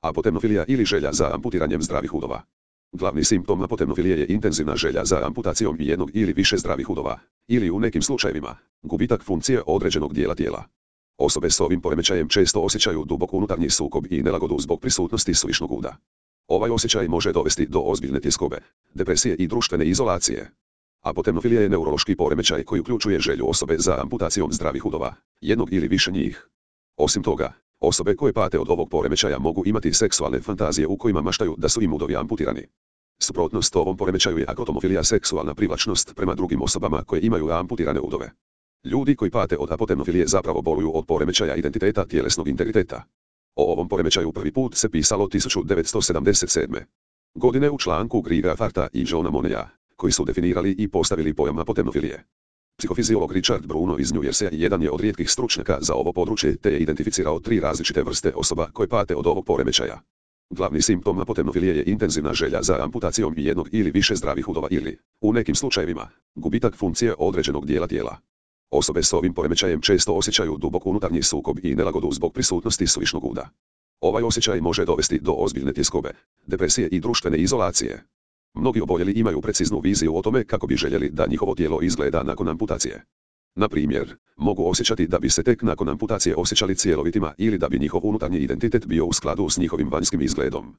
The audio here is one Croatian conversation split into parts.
Apotemnofilija ili želja za amputiranjem zdravih udova. Glavni simptom apotemnofilije je intenzivna želja za amputacijom jednog ili više zdravih udova, ili u nekim slučajevima, gubitak funkcije određenog dijela tijela. Osobe s ovim poremećajem često osjećaju dubok unutarnji sukob i nelagodu zbog prisutnosti suvišnog uda. Ovaj osjećaj može dovesti do ozbiljne tjeskobe, depresije i društvene izolacije. Apotemnofilija je neurološki poremećaj koji uključuje želju osobe za amputacijom zdravih udova, jednog ili više njih. Osim toga, osobe koje pate od ovog poremećaja mogu imati seksualne fantazije u kojima maštaju da su im udovi amputirani. Suprotnost ovom poremećaju je akrotomofilija, seksualna privlačnost prema drugim osobama koje imaju amputirane udove. Ljudi koji pate od apotemnofilije zapravo boluju od poremećaja identiteta tjelesnog integriteta. O ovom poremećaju prvi put se pisalo 1977. godine u članku Griga Farta i Johna Moneya, koji su definirali i postavili pojam apotemnofilije. Psihofiziolog Richard Bruno iz New Jersey jedan je od rijetkih stručnjaka za ovo područje te je identificirao 3 različite vrste osoba koje pate od ovog poremećaja. Glavni simptom apotemnofilije je intenzivna želja za amputacijom jednog ili više zdravih udova ili, u nekim slučajevima, gubitak funkcije određenog dijela tijela. Osobe s ovim poremećajem često osjećaju dubok unutarnji sukob i nelagodu zbog prisutnosti suvišnog uda. Ovaj osjećaj može dovesti do ozbiljne tjeskobe, depresije i društvene izolacije. Mnogi oboljeli imaju preciznu viziju o tome kako bi željeli da njihovo tijelo izgleda nakon amputacije. Na primjer, mogu osjećati da bi se tek nakon amputacije osjećali cjelovitima ili da bi njihov unutarnji identitet bio u skladu s njihovim vanjskim izgledom.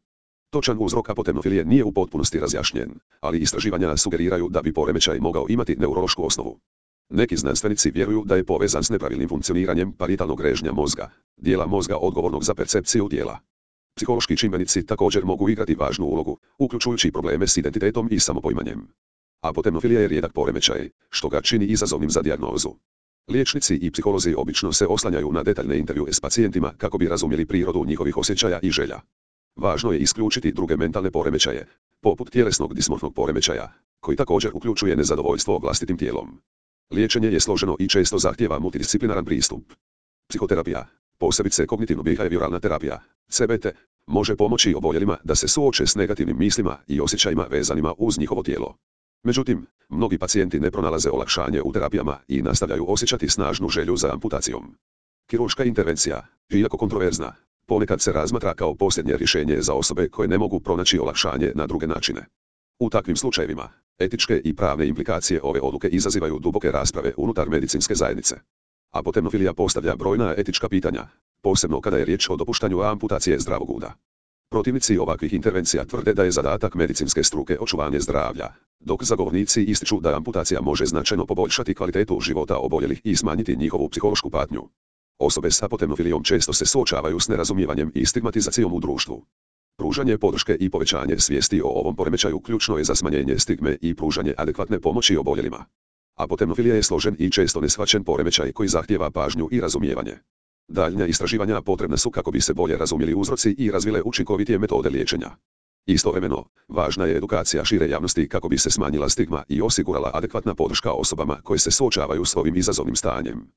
Točan uzrok apotemnofilije nije u potpunosti razjašnjen, ali istraživanja sugeriraju da bi poremećaj mogao imati neurološku osnovu. Neki znanstvenici vjeruju da je povezan s nepravilnim funkcioniranjem paritalnog režnja mozga, dijela mozga odgovornog za percepciju tijela. Psihološki čimbenici također mogu igrati važnu ulogu, uključujući probleme s identitetom i samopoimanjem. Apotemnofilija je rijedak poremećaj, što ga čini izazovnim za dijagnozu. Liječnici i psiholozi obično se oslanjaju na detaljne intervjue s pacijentima kako bi razumjeli prirodu njihovih osjećaja i želja. Važno je isključiti druge mentalne poremećaje, poput tjelesnog dismorfnog poremećaja, koji također uključuje nezadovoljstvo vlastitim tijelom. Liječenje je složeno i često zahtijeva multidisciplinaran pristup. Psihoterapija, posebice kognitivno-behavioralna terapija, CBT, može pomoći oboljelima da se suoče s negativnim mislima i osjećajima vezanima uz njihovo tijelo. Međutim, mnogi pacijenti ne pronalaze olakšanje u terapijama i nastavljaju osjećati snažnu želju za amputacijom. Kirurška intervencija, iako kontroverzna, ponekad se razmatra kao posljednje rješenje za osobe koje ne mogu pronaći olakšanje na druge načine. U takvim slučajevima, etičke i pravne implikacije ove odluke izazivaju duboke rasprave unutar medicinske zajednice. Apotemnofilija postavlja brojna etička pitanja, posebno kada je riječ o dopuštanju amputacije zdravog uda. Protivnici ovakvih intervencija tvrde da je zadatak medicinske struke očuvanje zdravlja, dok zagovornici ističu da amputacija može značajno poboljšati kvalitetu života oboljelih i smanjiti njihovu psihološku patnju. Osobe s apotemnofilijom često se suočavaju s nerazumijevanjem i stigmatizacijom u društvu. Pružanje podrške i povećanje svijesti o ovom poremećaju ključno je za smanjenje stigme i pružanje adekvatne pomoći oboljelima. Apotemnofilija je složen i često neshvaćen poremećaj koji zahtijeva pažnju i razumijevanje. Daljnja istraživanja potrebna su kako bi se bolje razumjeli uzroci i razvile učinkovitije metode liječenja. Istovremeno, važna je edukacija šire javnosti kako bi se smanjila stigma i osigurala adekvatna podrška osobama koje se suočavaju s ovim izazovnim stanjem.